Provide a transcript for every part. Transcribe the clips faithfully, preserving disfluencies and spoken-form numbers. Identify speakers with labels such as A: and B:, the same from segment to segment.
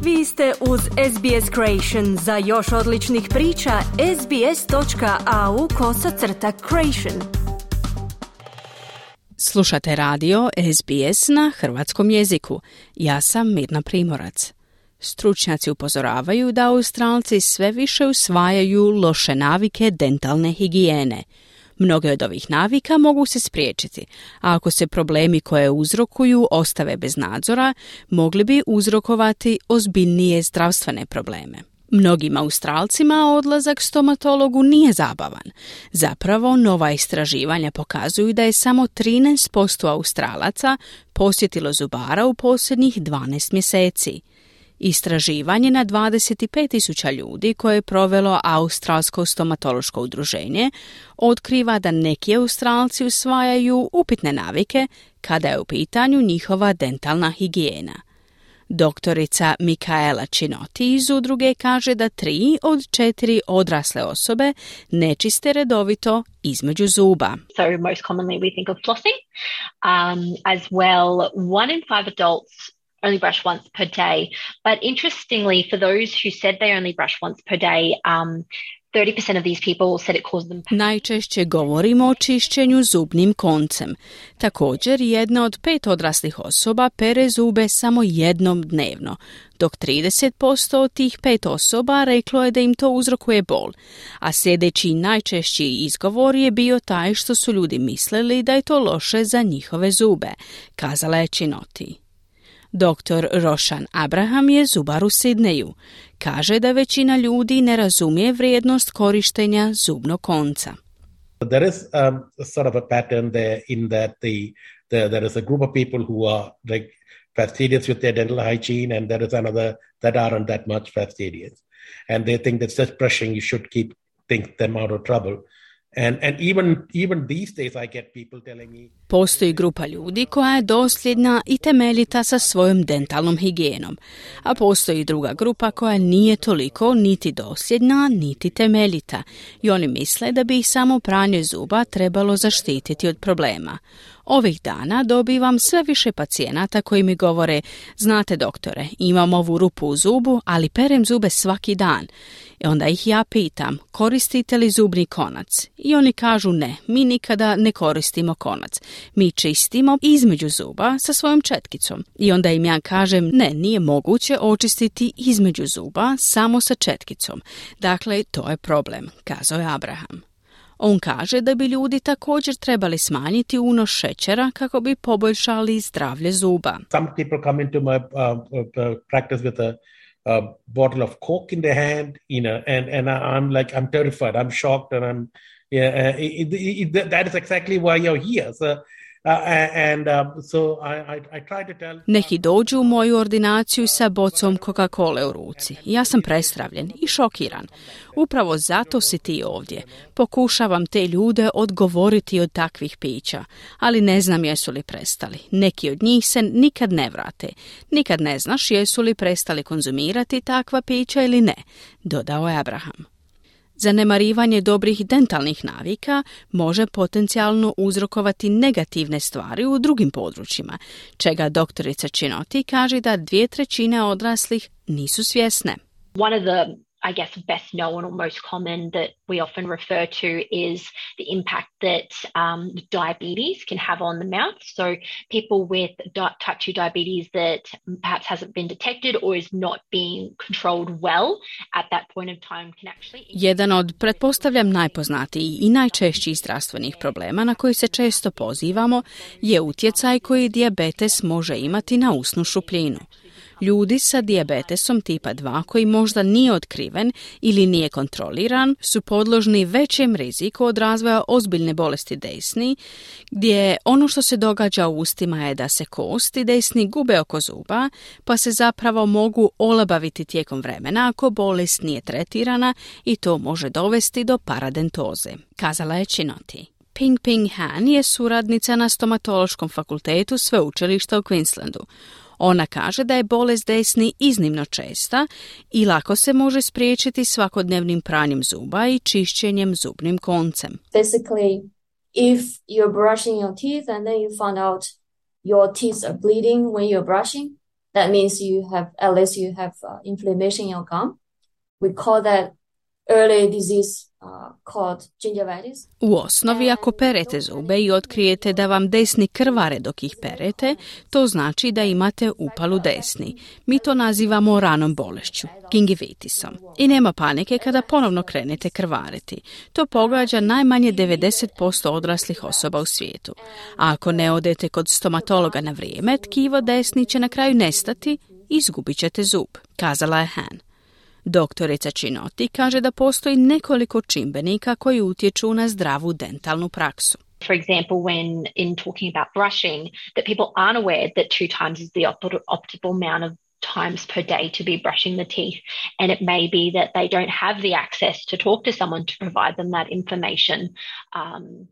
A: Vi ste uz S B S Creation. Za još odličnih priča, sbs.au kosacrta creation.
B: Slušate radio S B S na hrvatskom jeziku. Ja sam Mirna Primorac. Stručnjaci upozoravaju da Australci sve više usvajaju loše navike dentalne higijene. Mnoge od ovih navika mogu se spriječiti, a ako se problemi koje uzrokuju ostave bez nadzora, mogli bi uzrokovati ozbiljnije zdravstvene probleme. Mnogim Australcima odlazak stomatologu nije zabavan. Zapravo, nova istraživanja pokazuju da je samo trinaest posto Australaca posjetilo zubara u posljednjih dvanaest mjeseci. Istraživanje na dvadeset pet tisuća ljudi koje je provelo Australsko stomatološko udruženje otkriva da neki Australci usvajaju upitne navike kada je u pitanju njihova dentalna higijena. Doktorica Mikaela Chinoti iz udruge kaže da tri od četiri odrasle osobe ne čiste redovito između zuba.
C: So most commonly we think of flossing, um, as well one in five adults only brush once per day. But interestingly, for those who said they only brush once per day, um, thirty percent of these people said it caused them pain.
B: Najčešće govorimo o čišćenju zubnim koncem. Također, jedna od pet odraslih osoba pere zube samo jednom dnevno, dok trideset posto od tih pet osoba reklo je da im to uzrokuje bol. A sljedeći najčešći izgovor je bio taj što su ljudi mislili da je to loše za njihove zube, kazala je Chinoti. Doktor Roshan Abraham je zubar u Sidneju. Kaže da većina ljudi ne razumije vrijednost korištenja zubnog konca.
D: There is um, sort of a pattern there in that the, the there is a group of people who are like fastidious with their dental hygiene, and there is another that aren't that much fastidious, and they think that just brushing you should keep think them out of trouble. And and even even these days I get people telling me.
B: Postoji grupa ljudi koja je dosljedna i temeljita sa svojom dentalnom higijenom, a postoji druga grupa koja nije toliko niti dosljedna, niti temeljita, i oni misle da bi ih samo pranje zuba trebalo zaštititi od problema. Ovih dana dobivam sve više pacijenata koji mi govore: znate doktore, imam ovu rupu u zubu, ali perem zube svaki dan. I onda ih ja pitam, koristite li zubni konac? I oni kažu ne, mi nikada ne koristimo konac. Mi čistimo između zuba sa svojom četkicom. I onda im ja kažem, ne, nije moguće očistiti između zuba samo sa četkicom. Dakle, to je problem, kazao je Abraham. On kaže da bi ljudi također trebali smanjiti unos šećera kako bi poboljšali zdravlje zuba.
D: Some people come into my uh, uh, practice with a a bottle of Coke in their hand, you know, and, and I'm like, I'm terrified, I'm shocked, and I'm, yeah, uh, it, it, it, that is exactly why you're here. So, uh, and uh, so I, I, I try to tell...
B: Neki dođu u moju ordinaciju sa bocom Coca-Cola u ruci. Ja sam prestravljen i šokiran. Upravo zato si ti ovdje. Pokušavam te ljude odgovoriti od takvih pića, ali ne znam jesu li prestali. Neki od njih se nikad ne vrate. Nikad ne znaš jesu li prestali konzumirati takva pića ili ne, dodao je Abraham. Zanemarivanje dobrih dentalnih navika može potencijalno uzrokovati negativne stvari u drugim područjima, čega doktorica Chinoti kaže da dvije trećine odraslih nisu svjesne.
C: One of the I guess best known or most common that we often refer to is the impact that um, diabetes can have on the mouth. So people with di- type two diabetes that perhaps hasn't been detected or is not being controlled well at that point of time can actually...
B: Jedan od, pretpostavljam, najpoznatijih i najčešćih zdravstvenih problema na koji se često pozivamo je utjecaj koji dijabetes može imati na usnu šupljinu. Ljudi sa dijabetesom tipa dva koji možda nije otkriven ili nije kontroliran su podložni većem riziku od razvoja ozbiljne bolesti desni, gdje ono što se događa u ustima je da se kosti desni gube oko zuba, pa se zapravo mogu olabaviti tijekom vremena ako bolest nije tretirana i to može dovesti do paradentoze, kazala je Chinoti. Ping Ping Han je suradnica na stomatološkom fakultetu sveučilišta u Queenslandu. Ona kaže da je bolest desni iznimno česta i lako se može spriječiti svakodnevnim pranjem zuba i čišćenjem zubnim koncem.
E: Basically, if you're brushing your teeth and then you find out your teeth are bleeding when you're brushing, That means you have, at least you have uh, inflammation in your gum. We call that early disease uh, called gingivitis.
B: U osnovi, ako perete zube i otkrijete da vam desni krvare dok ih perete, to znači da imate upalu desni. Mi to nazivamo ranom bolešću, gingivitisom. I nema panike kada ponovno krenete krvariti. To pogađa najmanje devedeset posto odraslih osoba u svijetu. A ako ne odete kod stomatologa na vrijeme, tkivo desni će na kraju nestati i izgubit ćete zub, kazala je Han. Doktorica Cinoti kaže da postoji nekoliko čimbenika koji utječu na zdravu dentalnu praksu.
C: For example, when in talking about brushing, that people aren't aware that two times is the op- optimal amount of times per day to be brushing the teeth, and it may be that they don't have the access to talk to someone to provide them that information. Um,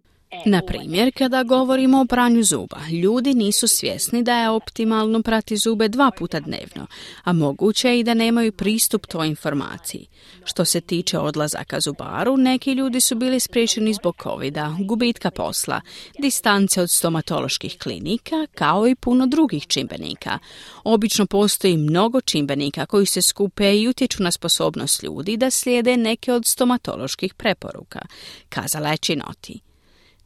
B: Na primjer, kada govorimo o pranju zuba, ljudi nisu svjesni da je optimalno prati zube dva puta dnevno, a moguće je i da nemaju pristup toj informaciji. Što se tiče odlazaka zubaru, neki ljudi su bili spriječeni zbog covida, gubitka posla, distance od stomatoloških klinika, kao i puno drugih čimbenika. Obično postoji mnogo čimbenika koji se skupe i utječu na sposobnost ljudi da slijede neke od stomatoloških preporuka, kazala je Cinoti.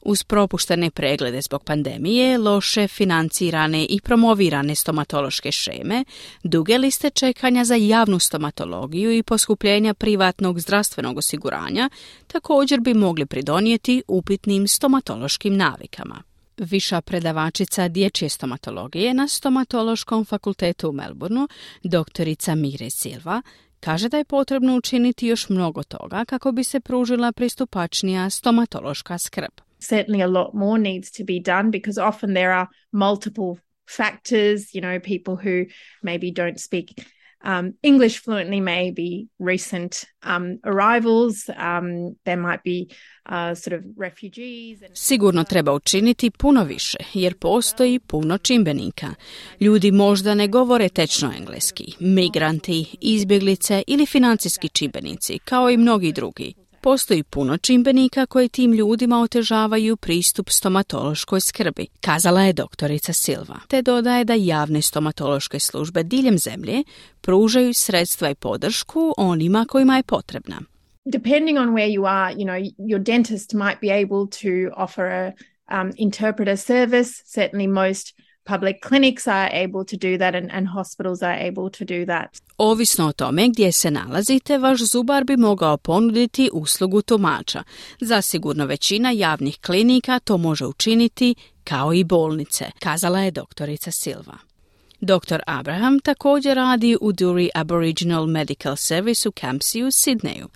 B: Uz propuštene preglede zbog pandemije, loše financirane i promovirane stomatološke šeme, duge liste čekanja za javnu stomatologiju i poskupljenja privatnog zdravstvenog osiguranja također bi mogli pridonijeti upitnim stomatološkim navikama. Viša predavačica dječje stomatologije na Stomatološkom fakultetu u Melbourneu, doktorica Mire Silva, kaže da je potrebno učiniti još mnogo toga kako bi se pružila pristupačnija stomatološka skrb.
F: Certainly a lot more needs to be done because often there are multiple factors, you know, people who maybe don't speak um, English fluently, maybe recent um, arrivals, um, there might be uh, sort of refugees. And...
B: Sigurno treba učiniti puno više, jer postoji puno čimbenika. Ljudi možda ne govore tečno engleski, migranti, izbjeglice ili financijski čimbenici, kao i mnogi drugi. Postoji puno čimbenika koji tim ljudima otežavaju pristup stomatološkoj skrbi, kazala je doktorica Silva, te dodaje da javne stomatološke službe diljem zemlje pružaju sredstva i podršku onima kojima je potrebna.
F: Depending on where you are, you know, your dentist might be able to offer a um, interpreter service. Certainly most public clinics are able to do that and, and hospitals are able to do that.
B: Ovisno o tome gdje se nalazite, vaš zubar bi mogao ponuditi uslugu tumača. Zasigurno većina javnih klinika to može učiniti, kao i bolnice, kazala je doktorica Silva. doktor Abraham također radi u Duri Aboriginal Medical Service u Campsie u Sidneju.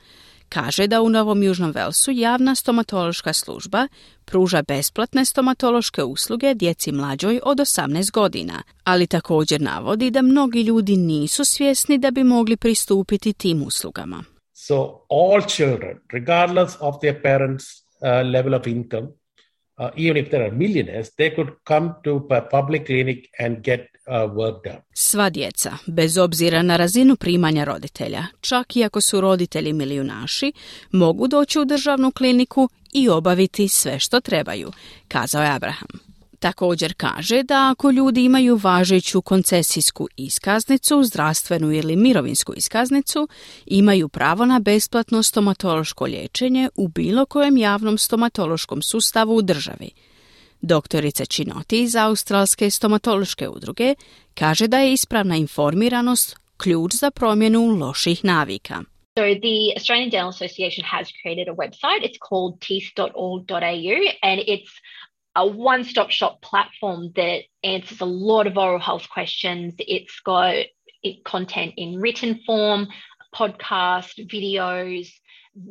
B: Kaže da u Novom Južnom Velsu javna stomatološka služba pruža besplatne stomatološke usluge djeci mlađoj od osamnaest godina, ali također navodi da mnogi ljudi nisu svjesni da bi mogli pristupiti tim uslugama.
D: So all children, regardless of their parents' uh, level of income, uh, even if they are millionaires, they could come to a public clinic and get uh, work done.
B: Sva djeca, bez obzira na razinu primanja roditelja, čak i ako su roditelji milijunaši, mogu doći u državnu kliniku i obaviti sve što trebaju, kazao je Abraham. Također kaže da ako ljudi imaju važeću koncesijsku iskaznicu, zdravstvenu ili mirovinsku iskaznicu, imaju pravo na besplatno stomatološko liječenje u bilo kojem javnom stomatološkom sustavu u državi. Doktorica Cinoti iz Australske stomatološke udruge kaže da je ispravna informiranost ključ za promjenu loših navika.
C: So the Australian Dental Association has created a website. It's called teeth dot org dot a u and it's a one-stop shop platform that answers a lot of oral health questions. It's got it, content in written form, podcast, videos.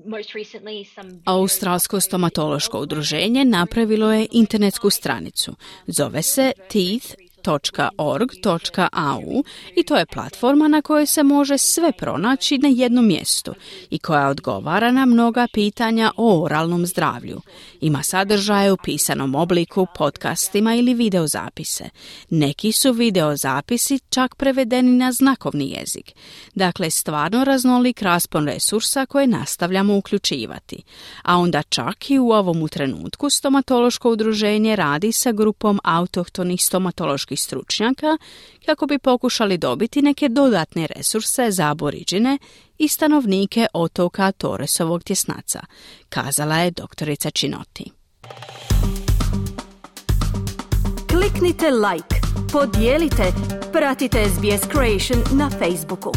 C: Most recently some
B: Australsko stomatološko udruženje napravilo je internetsku stranicu. Zove se teeth dot org dot a u i to je platforma na kojoj se može sve pronaći na jednom mjestu i koja odgovara na mnoga pitanja o oralnom zdravlju. Ima sadržaje u pisanom obliku, podcastima ili videozapise. Neki su videozapisi čak prevedeni na znakovni jezik. Dakle, stvarno raznolik raspon resursa koje nastavljamo uključivati. A onda čak i u ovom trenutku stomatološko udruženje radi sa grupom autohtonih stomatoloških ekoloških stručnjaka kako bi pokušali dobiti neke dodatne resurse za aboriđine i stanovnike otoka Torresovog tjesnaca, kazala je doktorica Cinoti.
A: Kliknite like, podijelite, pratite S B S Creation na Facebooku.